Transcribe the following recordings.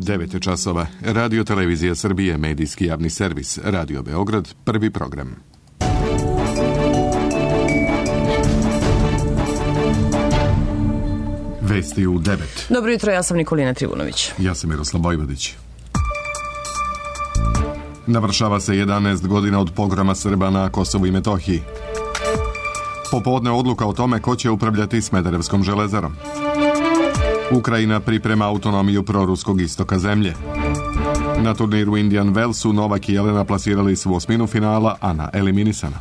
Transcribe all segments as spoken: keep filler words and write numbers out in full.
devet je časova. Radio Televizija Srbije, medijski javni servis. Radio Beograd, prvi program. Vesti u devet. Dobro jutro, ja sam Nikolina Trivunović. Ja sam Miroslav Vojvodić. Navršava se jedanaest godina od pogroma Srba na Kosovu i Metohiji. Popodne odluka o tome ko će upravljati Smederevskom železarom. Ukrajina priprema autonomiju proruskog istoka zemlje. Na turniru Indian Wellsu Novak i Jelena plasirali su osminu finala, Ana eliminisana.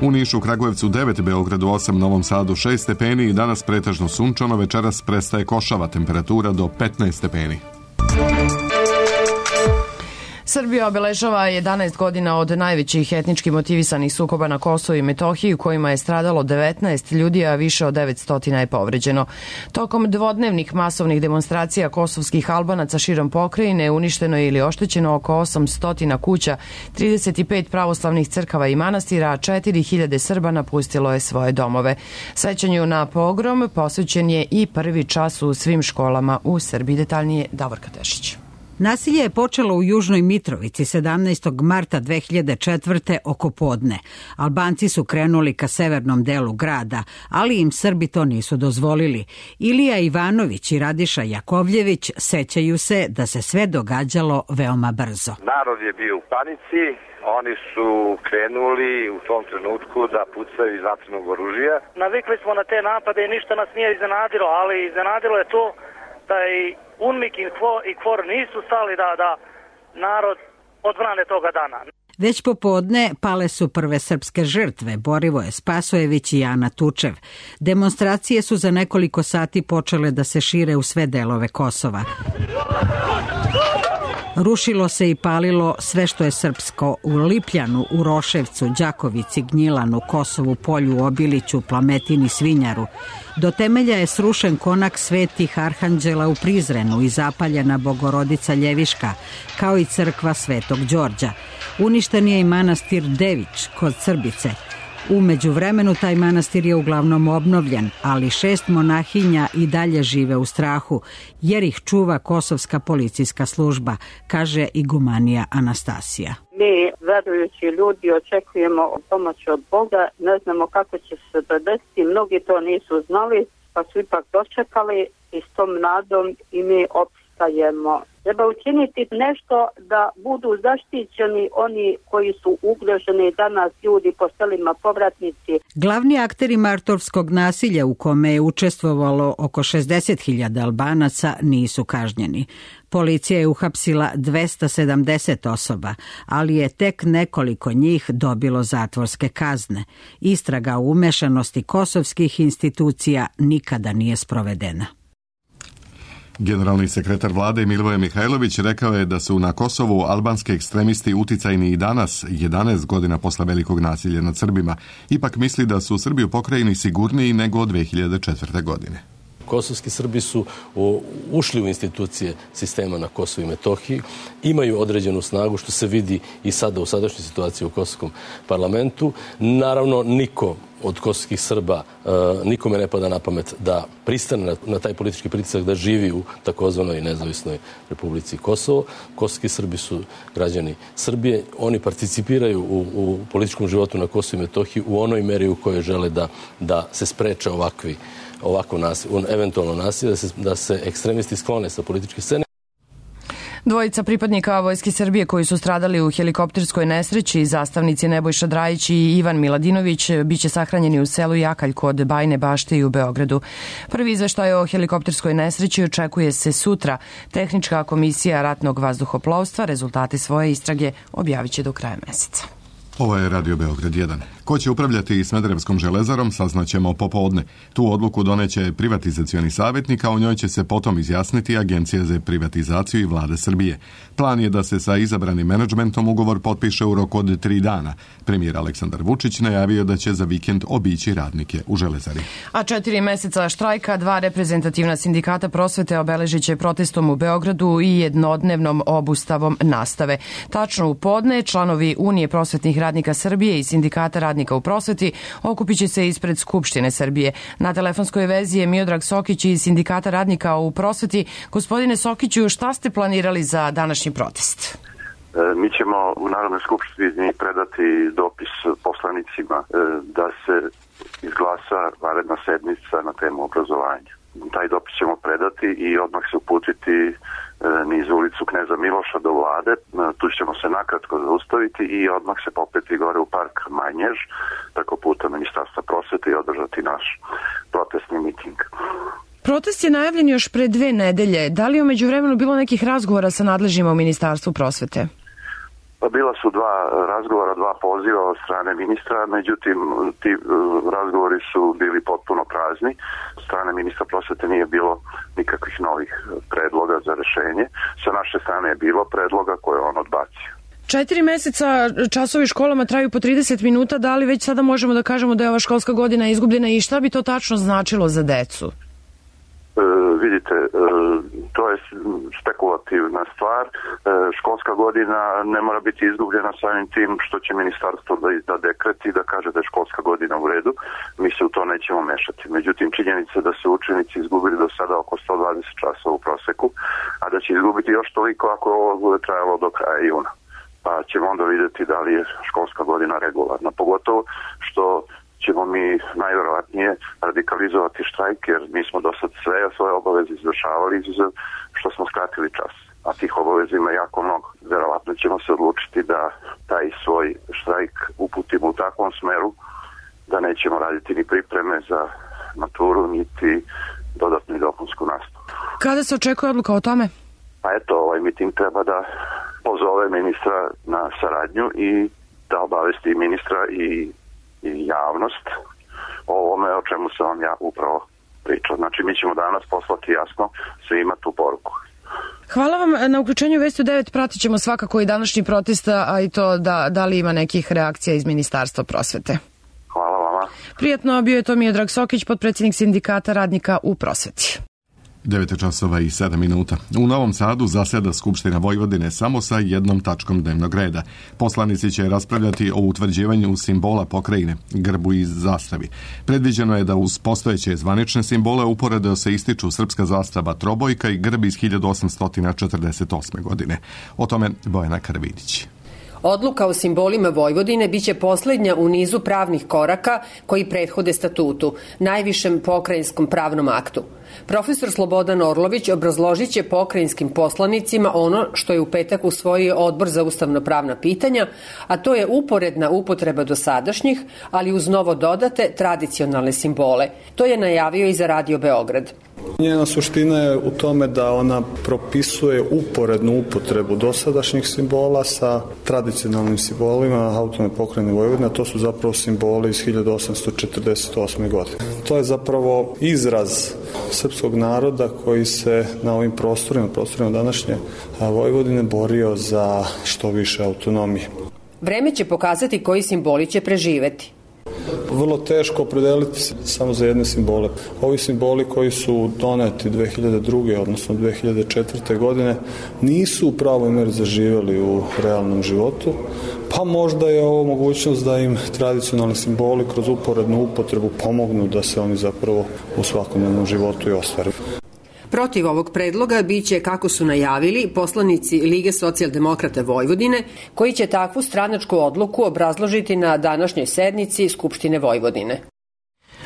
U Nišu, Kragujevcu devet, Beogradu osam, Novom Sadu šest stepeni i danas pretežno sunčano, večeras prestaje košava, temperatura do petnaest stepeni. Srbija obeležava jedanaest godina od najvećih etnički motivisanih sukoba na Kosovu i Metohiji u kojima je stradalo devetnaest ljudi, a više od devetsto je povređeno. Tokom dvodnevnih masovnih demonstracija kosovskih Albanaca širom pokrajine uništeno je ili oštećeno oko osamsto kuća, trideset pet pravoslavnih crkava i manastira, a četiri hiljade Srba napustilo je svoje domove. Sećanju na pogrom posvećen je i prvi čas u svim školama u Srbiji. Detaljnije Davorka Tešić. Nasilje je počelo u Južnoj Mitrovici sedamnaestog marta dve hiljade četvrte oko podne. Albanci su krenuli ka severnom delu grada, ali im Srbi to nisu dozvolili. Ilija Ivanović i Radiša Jakovljević sećaju se da se sve događalo veoma brzo. Narod je bio u panici, oni su krenuli u tom trenutku da pucaju iz vatrenog oružja. Navikli smo na te napade i ništa nas nije iznenadilo, ali iznenadilo je to da i UNMIK i KFOR nisu stali da, da narod odbrane toga dana. Već popodne pale su prve srpske žrtve, Borivoje Spasojević i Ana Tučev. Demonstracije su za nekoliko sati počele da se šire u sve delove Kosova. Rušilo se i palilo sve što je srpsko u Lipljanu, u Roševcu, Đakovici, Gnjilanu, Kosovu, Polju, Obiliću, Plametini, Svinjaru. Do temelja je srušen konak Svetih Arhanđela u Prizrenu i zapaljena Bogorodica Ljeviška, kao i crkva Svetog Đorđa. Uništen je i manastir Dević kod Srbice. U međuvremenu taj manastir je uglavnom obnovljen, ali šest monahinja i dalje žive u strahu, jer ih čuva kosovska policijska služba, kaže igumanija Anastasija. Mi, verujući ljudi, očekujemo pomoć od Boga, ne znamo kako će se desiti, mnogi to nisu znali, pa su ipak dočekali i s tom nadom i mi opstajemo. Treba učiniti nešto da budu zaštićeni oni koji su ugroženi danas, ljudi po selima, povratnici. Glavni akteri martovskog nasilja u kome je učestvovalo oko šezdeset hiljada Albanaca nisu kažnjeni. Policija je uhapsila dvesta sedamdeset osoba, ali je tek nekoliko njih dobilo zatvorske kazne. Istraga o umešanosti kosovskih institucija nikada nije sprovedena. Generalni sekretar vlade Milivoje Mihajlović rekao je da su na Kosovu albanski ekstremisti uticajni i danas, jedanaest godina posle velikog nasilja nad Srbima. Ipak misli da su Srbi u pokrajini sigurniji nego od dve hiljade četvrte. godine. Kosovski Srbi su ušli u institucije sistema na Kosovu i Metohiji, imaju određenu snagu, što se vidi i sada u sadašnjoj situaciji u Kosovskom parlamentu. Naravno, niko od kosovskih Srba, nikome ne pada na pamet da pristane na taj politički pritisak da živi u takozvanoj nezavisnoj Republici Kosovo. Kosovski Srbi su građani Srbije. Oni participiraju u, u političkom životu na Kosovu i Metohiji u onoj meri u kojoj žele da, da se spreče ovakvi ovako nasilje, eventualno nasilje, da se, da se ekstremisti sklone sa političke scene. Dvojica pripadnika Vojske Srbije koji su stradali u helikopterskoj nesreći, zastavnici Nebojša Drajić i Ivan Miladinović, biće sahranjeni u selu Jakalj kod Bajne Bašte i u Beogradu. Prvi izveštaj o helikopterskoj nesreći očekuje se sutra. Tehnička komisija ratnog vazduhoplovstva rezultate svoje istrage objavit će do kraja meseca. Ovo je Radio Beograd jedan. Ko će upravljati Smederevskom železarom saznaćemo popodne. Tu odluku doneće privatizacioni savjetnik, a o njoj će se potom izjasniti Agencija za privatizaciju i Vlade Srbije. Plan je da se sa izabranim menadžmentom ugovor potpiše u roku od tri dana. Premijer Aleksandar Vučić najavio da će za vikend obići radnike u železari. A četiri meseca štrajka, dva reprezentativna sindikata prosvete obeležit će protestom u Beogradu i jednodnevnom obustavom nastave. Tačno u podne članovi Unije prosvetnih radnika Srbije i sindikata radnika radnika u prosveti okupit će se ispred Skupštine Srbije. Na telefonskoj vezi je Miodrag Sokić iz Sindikata radnika u prosveti. Gospodine Sokiću, šta ste planirali za današnji protest? Mi ćemo u Narodnoj skupštini predati dopis poslanicima da se izglasa vanredna sednica na temu obrazovanja. Taj dopis ćemo predati i odmah se uputiti niz ulicu Kneza Miloša do vlade. Tu ćemo se nakratko zaustaviti i odmah se popeti gore u park Manjež, preko puta Ministarstva prosvete i održati naš protestni miting. Protest je najavljen još pre dve nedelje. Da li je umeđu vremenu bilo nekih razgovora sa nadležnjima u Ministarstvu prosvete? Pa bila su dva razgovora, dva poziva od strane ministra, međutim ti razgovori su bili potpuno prazni. Od strane ministra prosvete nije bilo nikakvih novih predloga za rešenje. Sa naše strane je bilo predloga koje on odbacio. Četiri meseca časovi školama traju po trideset minuta, da li već sada možemo da kažemo da je ova školska godina izgubljena i šta bi to tačno značilo za decu? E, vidite, e, to je spekulativna stvar. E, školska godina ne mora biti izgubljena samim tim što će ministarstvo da izda dekret i da kaže da je školska godina u redu. Mi se u to nećemo mešati. Međutim, činjenica da su učenici izgubili do sada oko sto dvadeset časova u proseku, a da će izgubiti još toliko ako ovo bude trajalo do kraja juna. Pa ćemo onda vidjeti da li je školska godina regularna. Pogotovo što ćemo mi najverovatnije radikalizovati štrajk, jer mi smo do sad sve svoje obaveze izvršavali izuzev što smo skratili čas. A tih obaveza ima jako mnogo. Verovatno ćemo se odlučiti da taj svoj štrajk uputimo u takvom smeru da nećemo raditi ni pripreme za maturu, niti dodatnu i dopunsku nastavu. Kada se očekuje odluka o tome? Pa eto, ovaj miting treba da pozove ministra na saradnju i da obavesti ministra i i javnost o ovome o čemu sam vam ja upravo pričao. Znači, mi ćemo danas poslati jasno svima tu poruku. Hvala vam na uključenju Vesti devet. Pratit ćemo svakako i današnji protest, a i to da, da li ima nekih reakcija iz Ministarstva prosvete. Hvala vama. Prijatno, bio je to Miodrag Sokić, potpredsjednik Sindikata radnika u prosveti. devet časova i sedam minuta. U Novom Sadu zaseda Skupština Vojvodine samo sa jednom tačkom dnevnog reda. Poslanici će raspravljati o utvrđivanju simbola pokrajine, grbu i zastavi. Predviđeno je da uz postojeće zvanične simbole uporedo se ističu srpska zastava trobojka i grb iz hiljadu osamsto četrdeset osme. godine. O tome Bojana Karvidić. Odluka o simbolima Vojvodine biće poslednja u nizu pravnih koraka koji prethode statutu, najvišem pokrajinskom pravnom aktu. Profesor Slobodan Orlović obrazložit će pokrajinskim poslanicima ono što je u petak usvojio Odbor za ustavno-pravna pitanja, a to je uporedna upotreba dosadašnjih, ali uz novo dodate tradicionalne simbole. To je najavio i za Radio Beograd. Njena suština je u tome da ona propisuje uporednu upotrebu dosadašnjih simbola sa tradicionalnim simbolima autonomne pokrajine Vojvodine, a to su zapravo simboli iz hiljadu osamsto četrdeset osme. godine. To je zapravo izraz srpskog naroda koji se na ovim prostorima, prostorima današnje Vojvodine borio za što više autonomije. Vreme će pokazati koji simboli će preživeti. Vrlo teško opredeliti se samo za jedne simbole. Ovi simboli koji su doneti dve hiljade druge. odnosno dve hiljade četvrte. godine nisu u pravoj meri zaživeli u realnom životu, pa možda je ovo mogućnost da im tradicionalni simboli kroz uporednu upotrebu pomognu da se oni zapravo u svakodnevnom životu i ostvare. Protiv ovog predloga biće, kako su najavili, poslanici Lige socijaldemokrata Vojvodine, koji će takvu stranačku odluku obrazložiti na današnjoj sednici Skupštine Vojvodine.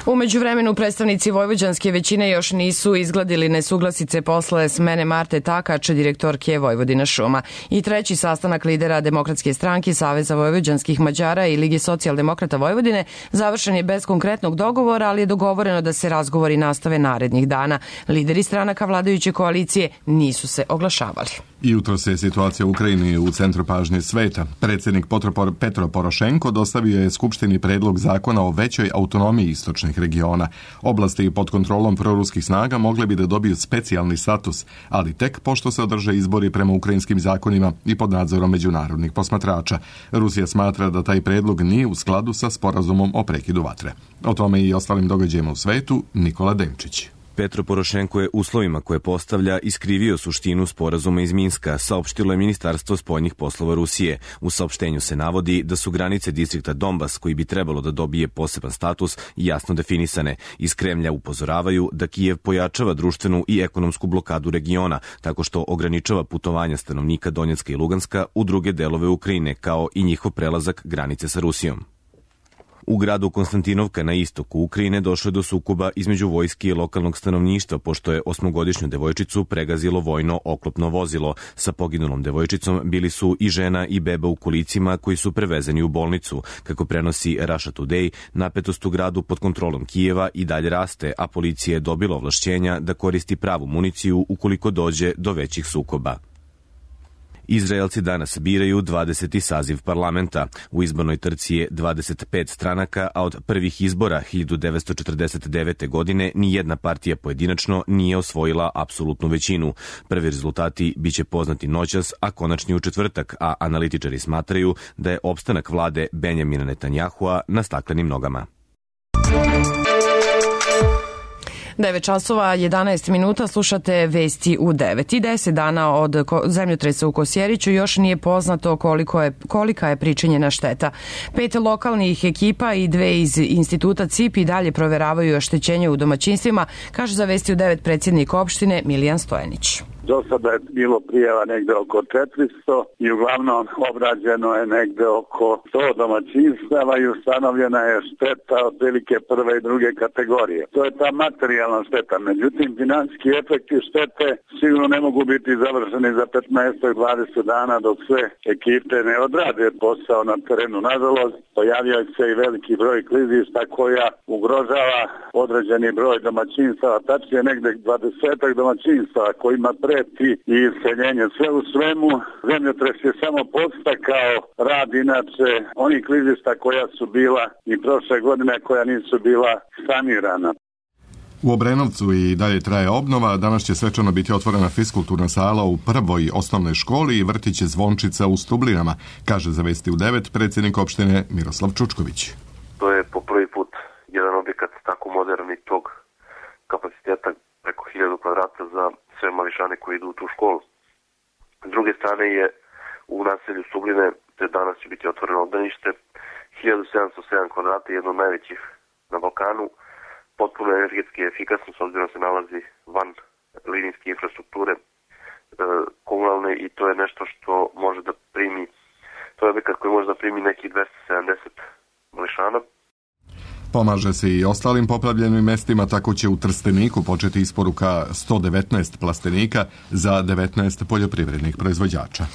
U međuvremenu predstavnici vojvođanske većine još nisu izgladili nesuglasice posle smene Marte Takač, direktorke Vojvodina šuma. I treći sastanak lidera Demokratske stranke, Saveza vojvođanskih Mađara i Lige socijaldemokrata Vojvodine završen je bez konkretnog dogovora, ali je dogovoreno da se razgovori nastave narednih dana. Lideri stranaka vladajuće koalicije nisu se oglašavali. Jutro se situacija u Ukrajini u centru pažnje sveta. Predsjednik Petro Porošenko dostavio je Skupštini predlog zakona o većoj autonomiji istočnih regiona. Oblasti pod kontrolom proruskih snaga mogle bi da dobiju specijalni status, ali tek pošto se održe izbori prema ukrajinskim zakonima i pod nadzorom međunarodnih posmatrača. Rusija smatra da taj predlog nije u skladu sa sporazumom o prekidu vatre. O tome i ostalim događajima u svetu Nikola Denčić. Petro Porošenko je uslovima koje postavlja iskrivio suštinu sporazuma iz Minska, saopštilo je Ministarstvo spoljnih poslova Rusije. U saopštenju se navodi da su granice distrikta Donbas, koji bi trebalo da dobije poseban status, jasno definisane. Iz Kremlja upozoravaju da Kijev pojačava društvenu i ekonomsku blokadu regiona, tako što ograničava putovanja stanovnika Donjecka i Luganska u druge delove Ukrajine, kao i njihov prelazak granice sa Rusijom. U gradu Konstantinovka na istoku Ukrajine došlo je do sukoba između vojske i lokalnog stanovništva, pošto je osmogodišnju devojčicu pregazilo vojno oklopno vozilo. Sa poginulom devojčicom bili su i žena i beba u kolicima koji su prevezeni u bolnicu. Kako prenosi Russia Today, napetost u gradu pod kontrolom Kijeva i dalje raste, a policija je dobila ovlašćenja da koristi pravu municiju ukoliko dođe do većih sukoba. Izraelci danas biraju dvadeseti saziv parlamenta. U izbornoj trci je dvadeset pet stranaka, a od prvih izbora hiljadu devetsto četrdeset devete. godine nijedna partija pojedinačno nije osvojila apsolutnu većinu. Prvi rezultati biće poznati noćas, a konačni u četvrtak, a analitičari smatraju da je opstanak vlade Benjamina Netanjahua na staklenim nogama. devet časova jedanaest minuta, slušate vesti u devet. I deset dana od zemljotresa u Kosjeriću još nije poznato koliko je, kolika je pričinjena šteta. Pet lokalnih ekipa i dve iz instituta C I P i dalje proveravaju oštećenje u domaćinstvima, kaže za vesti u devet predsjednik opštine Milijan Stojanić. Do sada je bilo prijava negde oko četiristo i uglavnom obrađeno je negde oko sto domaćinstava i ustanovljena je šteta od velike prve i druge kategorije. To je ta materijalna šteta. Međutim, finansijski efekti štete sigurno ne mogu biti završeni za petnaest do dvadeset dana dok sve ekipe ne odrade posao na terenu. Nažalost, pojavio se i veliki broj klizišta koja ugrožava određeni broj domaćinstava, tačnije negde dvadesetak domaćinstava kojima pre i iseljenje. Sve u svemu, zemljotres je samo podstakao rad inače onih klizišta koja su bila i prošle godine koja nisu bila sanirana. U Obrenovcu i dalje traje obnova. Danas će svečano biti otvorena fiskulturna sala u prvoj osnovnoj školi i vrtić Zvončica u Stublinama, kaže za vesti u devet predsjednik opštine Miroslav Čučković. To je po prvi put jedan objekat tako modern i tog kapaciteta preko hiljadu kvadrata za sve mališane koji idu u tu školu. S druge strane je u naselju Stubline, te danas će biti otvoreno obdanište, hiljadu sedamsto sedam kvadrata, jedno od najvećih na Balkanu, potpuno energetski efikasno, s obzirom se nalazi van linijske infrastrukture e, komunalne i to je nešto što može da primi, to je objekat koji može da primi nekih dvesta sedamdeset mališana. Pomaže se i ostalim poplavljenim mestima, tako će u Trsteniku početi isporuka sto devetnaest plastenika za devetnaest poljoprivrednih proizvođača.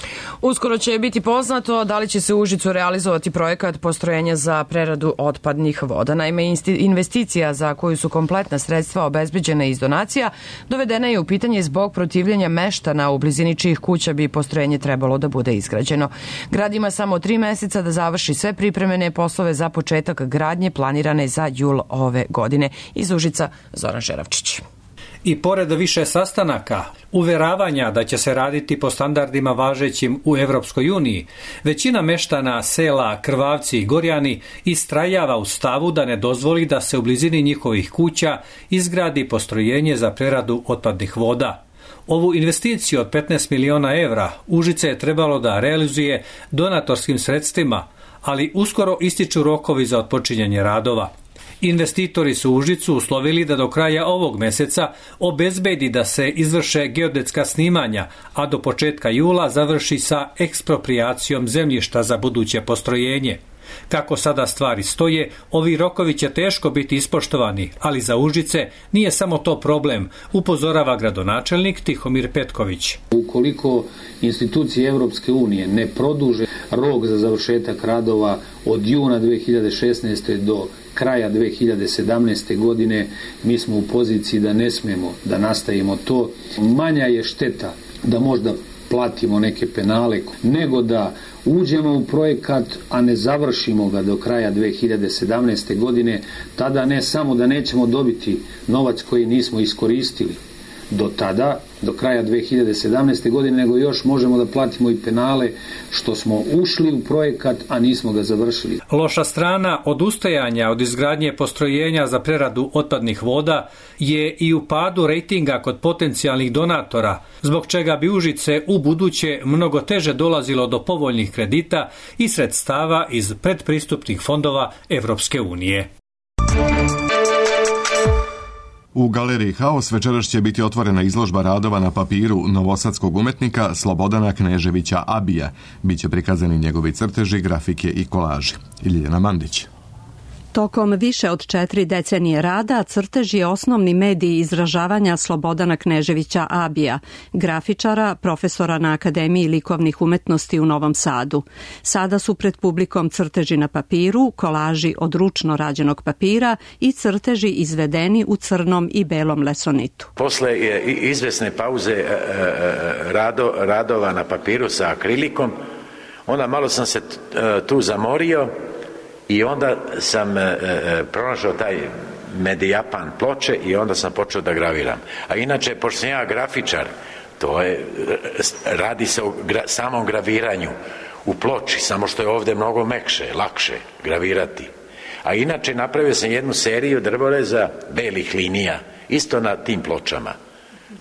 Uskoro će biti poznato da li će se u Užicu realizovati projekat postrojenja za preradu otpadnih voda. Naime, investicija za koju su kompletna sredstva obezbeđena iz donacija dovedena je u pitanje zbog protivljenja meštana u blizini čijih kuća bi postrojenje trebalo da bude izgrađeno. Grad ima samo tri meseca da završi sve pripremene poslove za početak gradnje planirane za jul ove godine. Iz Užica Zoran Žeravčić. I pored više sastanaka, uveravanja da će se raditi po standardima važećim u Evropskoj uniji, većina meštana sela Krvavci i Gorjani istrajava u stavu da ne dozvoli da se u blizini njihovih kuća izgradi postrojenje za preradu otpadnih voda. Ovu investiciju od petnaest miliona evra Užice je trebalo da realizuje donatorskim sredstvima, ali uskoro ističu rokovi za otpočinjanje radova. Investitori su Užicu uslovili da do kraja ovog meseca obezbedi da se izvrše geodetska snimanja, a do početka jula završi sa eksproprijacijom zemljišta za buduće postrojenje. Kako sada stvari stoje, ovi rokovi će teško biti ispoštovani, ali za Užice nije samo to problem, upozorava gradonačelnik Tihomir Petković. Ukoliko institucije Evropske unije ne produže rok za završetak radova od juna dve hiljade šesnaeste. do kraja dve hiljade sedamnaeste. godine, mi smo u poziciji da ne smemo da nastavimo to. Manja je šteta da možda platimo neke penale, nego da uđemo u projekat, a ne završimo ga do kraja dve hiljade sedamnaeste. godine, tada ne samo da nećemo dobiti novac koji nismo iskoristili, do tada, do kraja dve hiljade sedamnaeste. godine, nego još možemo da platimo i penale što smo ušli u projekat, a nismo ga završili. Loša strana odustajanja od izgradnje postrojenja za preradu otpadnih voda je i u padu rejtinga kod potencijalnih donatora, zbog čega bi Užice u buduće mnogo teže dolazilo do povoljnih kredita i sredstava iz predpristupnih fondova Evropske unije. U galeriji Haos večeras će biti otvorena izložba radova na papiru novosadskog umetnika Slobodana Kneževića Abija. Biće prikazani njegovi crteži, grafike i kolaži. Ljiljana Mandić. Tokom više od četiri decenije rada, crtež je osnovni medij izražavanja Slobodana Kneževića Abija, grafičara, profesora na Akademiji likovnih umetnosti u Novom Sadu. Sada su pred publikom crteži na papiru, kolaži od ručno rađenog papira i crteži izvedeni u crnom i belom lesonitu. Posle izvesne pauze rado, radova na papiru sa akrilikom, onda malo sam se tu zamorio, i onda sam e, e, pronašao taj Medijapan ploče i onda sam počeo da graviram. A inače, pošto sam ja grafičar, to je, radi se o gra, samom graviranju u ploči, samo što je ovde mnogo mekše, lakše gravirati. A inače, napravio sam jednu seriju drvoreza belih linija, isto na tim pločama.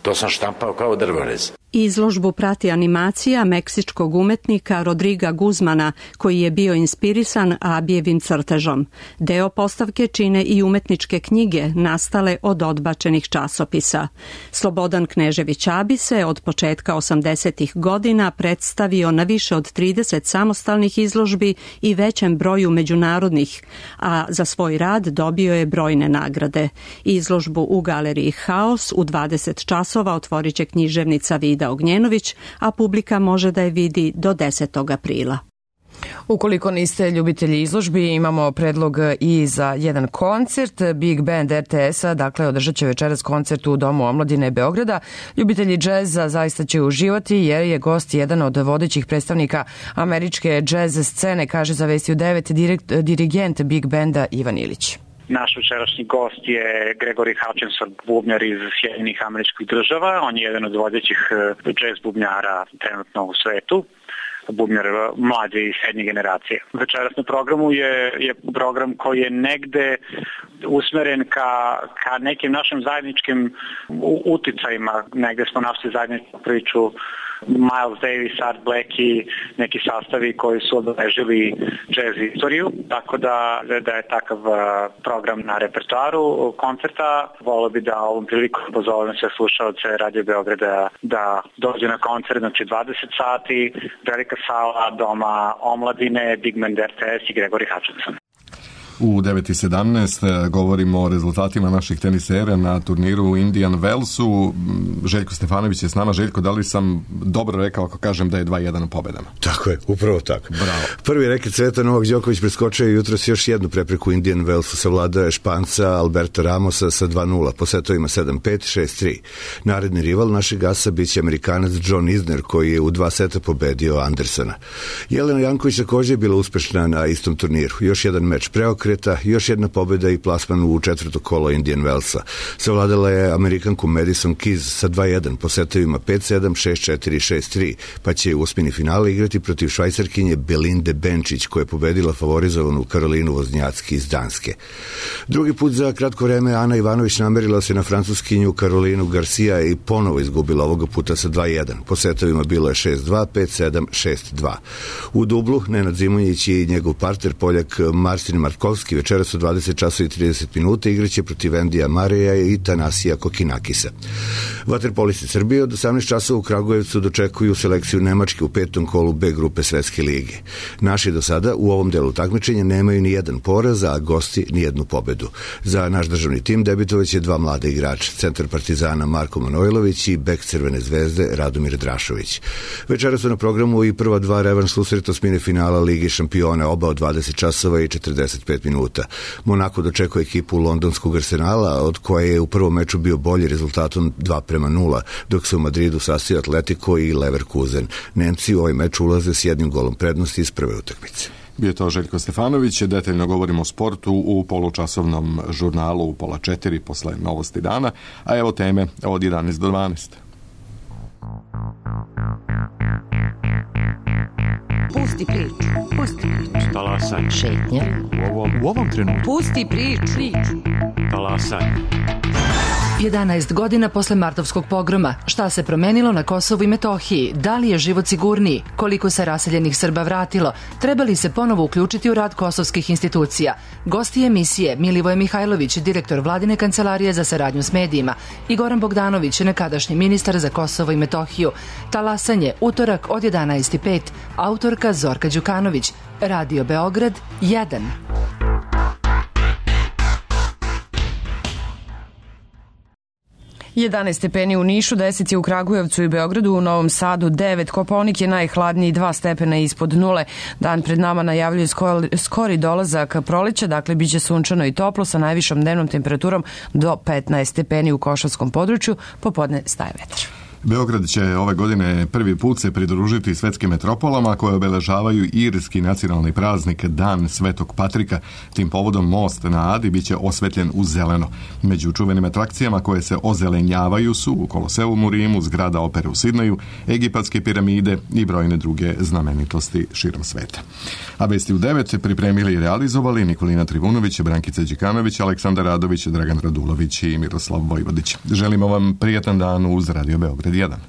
To sam štampao kao drvorez. Izložbu prati animacija meksičkog umetnika Rodriga Guzmana, koji je bio inspirisan Abijevim crtežom. Deo postavke čine i umetničke knjige nastale od odbačenih časopisa. Slobodan Knežević Abi se od početka osamdesetih godina predstavio na više od trideset samostalnih izložbi i većem broju međunarodnih, a za svoj rad dobio je brojne nagrade. Izložbu u galeriji Haos u dvadeset časova otvorit će književnica Vida Ognjenović, a publika može da je vidi do desetog aprila. Ukoliko niste ljubitelji izložbi, imamo predlog i za jedan koncert. Big Band R T S-a, dakle, održat će večeras koncert u Domu omladine Beograda. Ljubitelji džeza zaista će uživati jer je gost jedan od vodećih predstavnika američke džez scene, kaže za Vesti u devet direkt, dirigent Big Banda Ivan Ilić. Naš večerašnji gost je Gregory Hutchinson, bubnjar iz Sjedinjenih Američkih Država. On je jedan od vodećih džez bubnjara trenutno u svetu, bubnjar mlađe i srednje generacije. Večeras na programu je, je program koji je negde usmeren ka, ka nekim našim zajedničkim uticajima. Negde smo našli zajedničku priču Miles Davis, Art Blakey, neki sastavi koji su obeležili jazz istoriju, tako da, da je takav program na repertoaru koncerta. Volio bi da ovom priliku pozovem sve slušalce Radio Beograda da dođe na koncert, znači dvadeset sati, velika sala Doma omladine, Big Band R T S i Gregory Hutchinson. U devet i sedamnaest govorimo o rezultatima naših tenisera na turniru u Indian Wellsu. Željko Stefanović je s nama. Željko, da li sam dobro rekao ako kažem da je dva jedan u pobedama? Tako je, upravo tako. Bravo. Prvi reket sveta Novak Đoković preskočio je jutros još jednu prepreku Indian Wellsu, savladao je Španca Alberta Ramosa sa dva nula, po setovima sedam pet, šest tri. Naredni rival našeg asa biće Amerikanac John Isner, koji je u dva seta pobedio Andersona. Jelena Janković također je bila uspešna na istom turniru. Još jedan meč preokret, još jedna pobjeda i plasman u četvrto kolo Indian Wellsa. Savladala je Amerikanku Madison Keys sa dva jedan po setovima pet sedam, šest četiri, šest tri, pa će u osmini finale igrati protiv Švajcarkinje Belinde Benčić, koja je pobedila favorizovanu Karolinu Voznjacki iz Danske. Drugi put za kratko vreme Ana Ivanović namerila se na francuskinju Karolinu Garcia i ponovo izgubila ovoga puta sa dva jedan. Po setovima bilo je šest dva, pet sedam, šest dva. U dublu Nenad Zimonjić i njegov partner Poljak Marcin Markovski večeras u dvadeset časova i trideset minuta igraće protiv Endija Mareja i Tanasija Kokinakisa. Vaterpolisti Srbije od osamnaest časova u Kragujevcu dočekuju selekciju Nemačke u petom kolu B grupe Svetske lige. Naši do sada u ovom delu takmičenja nemaju ni jedan poraz, a gosti ni jednu pobedu. Za naš državni tim debitovaće dva mlada igrača, centar Partizana Marko Manojlović i bek Crvene zvezde Radomir Drašović. Večeras su na programu i prva dva revanš susreta osmine finala Lige šampiona, oba od dvadeset časova i četrdeset pet minuta. Monako dočekuje ekipu londonskog Arsenala, od koje je u prvom meču bio bolji rezultatom dva prema nula, dok se u Madridu sastaju Atletico i Leverkusen. Nemci u ovaj meč ulaze s jednim golom prednosti iz prve utakmice. Bio je to Željko Stefanović, detaljno govorimo o sportu u polučasovnom žurnalu u pola četiri posle novosti dana, a evo teme od jedanaest do dvanaest. Pusti priču, pusti priču. Talasaj. Šetnja. U ovom, u ovom trenutku. Pusti priču. priču. Talasaj. jedanaest godina posle martovskog pogroma. Šta se promenilo na Kosovu i Metohiji? Da li je život sigurniji? Koliko se raseljenih Srba vratilo? Treba li se ponovo uključiti u rad kosovskih institucija? Gosti emisije Milivoje Mihajlović, direktor Vladine kancelarije za saradnju s medijima, i Goran Bogdanović, nekadašnji ministar za Kosovo i Metohiju. Talasanje, utorak od jedanaest i pet. Autorka Zorka Đukanović. Radio Beograd jedan. jedanaest stepeni u Nišu, deset je u Kragujevcu i Beogradu, u Novom Sadu devet, Kopaonik je najhladniji, dva stepena ispod nule. Dan pred nama najavljuje skori dolazak proleća, dakle biće sunčano i toplo sa najvišom dnevnom temperaturom do petnaest stepeni u Košavskom području, popodne staje vetar. Beograd će ove godine prvi put se pridružiti svetskim metropolama koje obeležavaju irski nacionalni praznik Dan Svetog Patrika. Tim povodom most na Adi biće osvetljen u zeleno. Među čuvenim atrakcijama koje se ozelenjavaju su u Koloseum u Rimu, zgrada opere u Sidneju, egipatske piramide i brojne druge znamenitosti širom sveta. A vesti u devet pripremili i realizovali Nikolina Trivunović, Brankica Đikanović, Aleksandar Radović, Dragan Radulović i Miroslav Vojvodić. Želimo vam prijatan dan uz Radio Beograd jedan.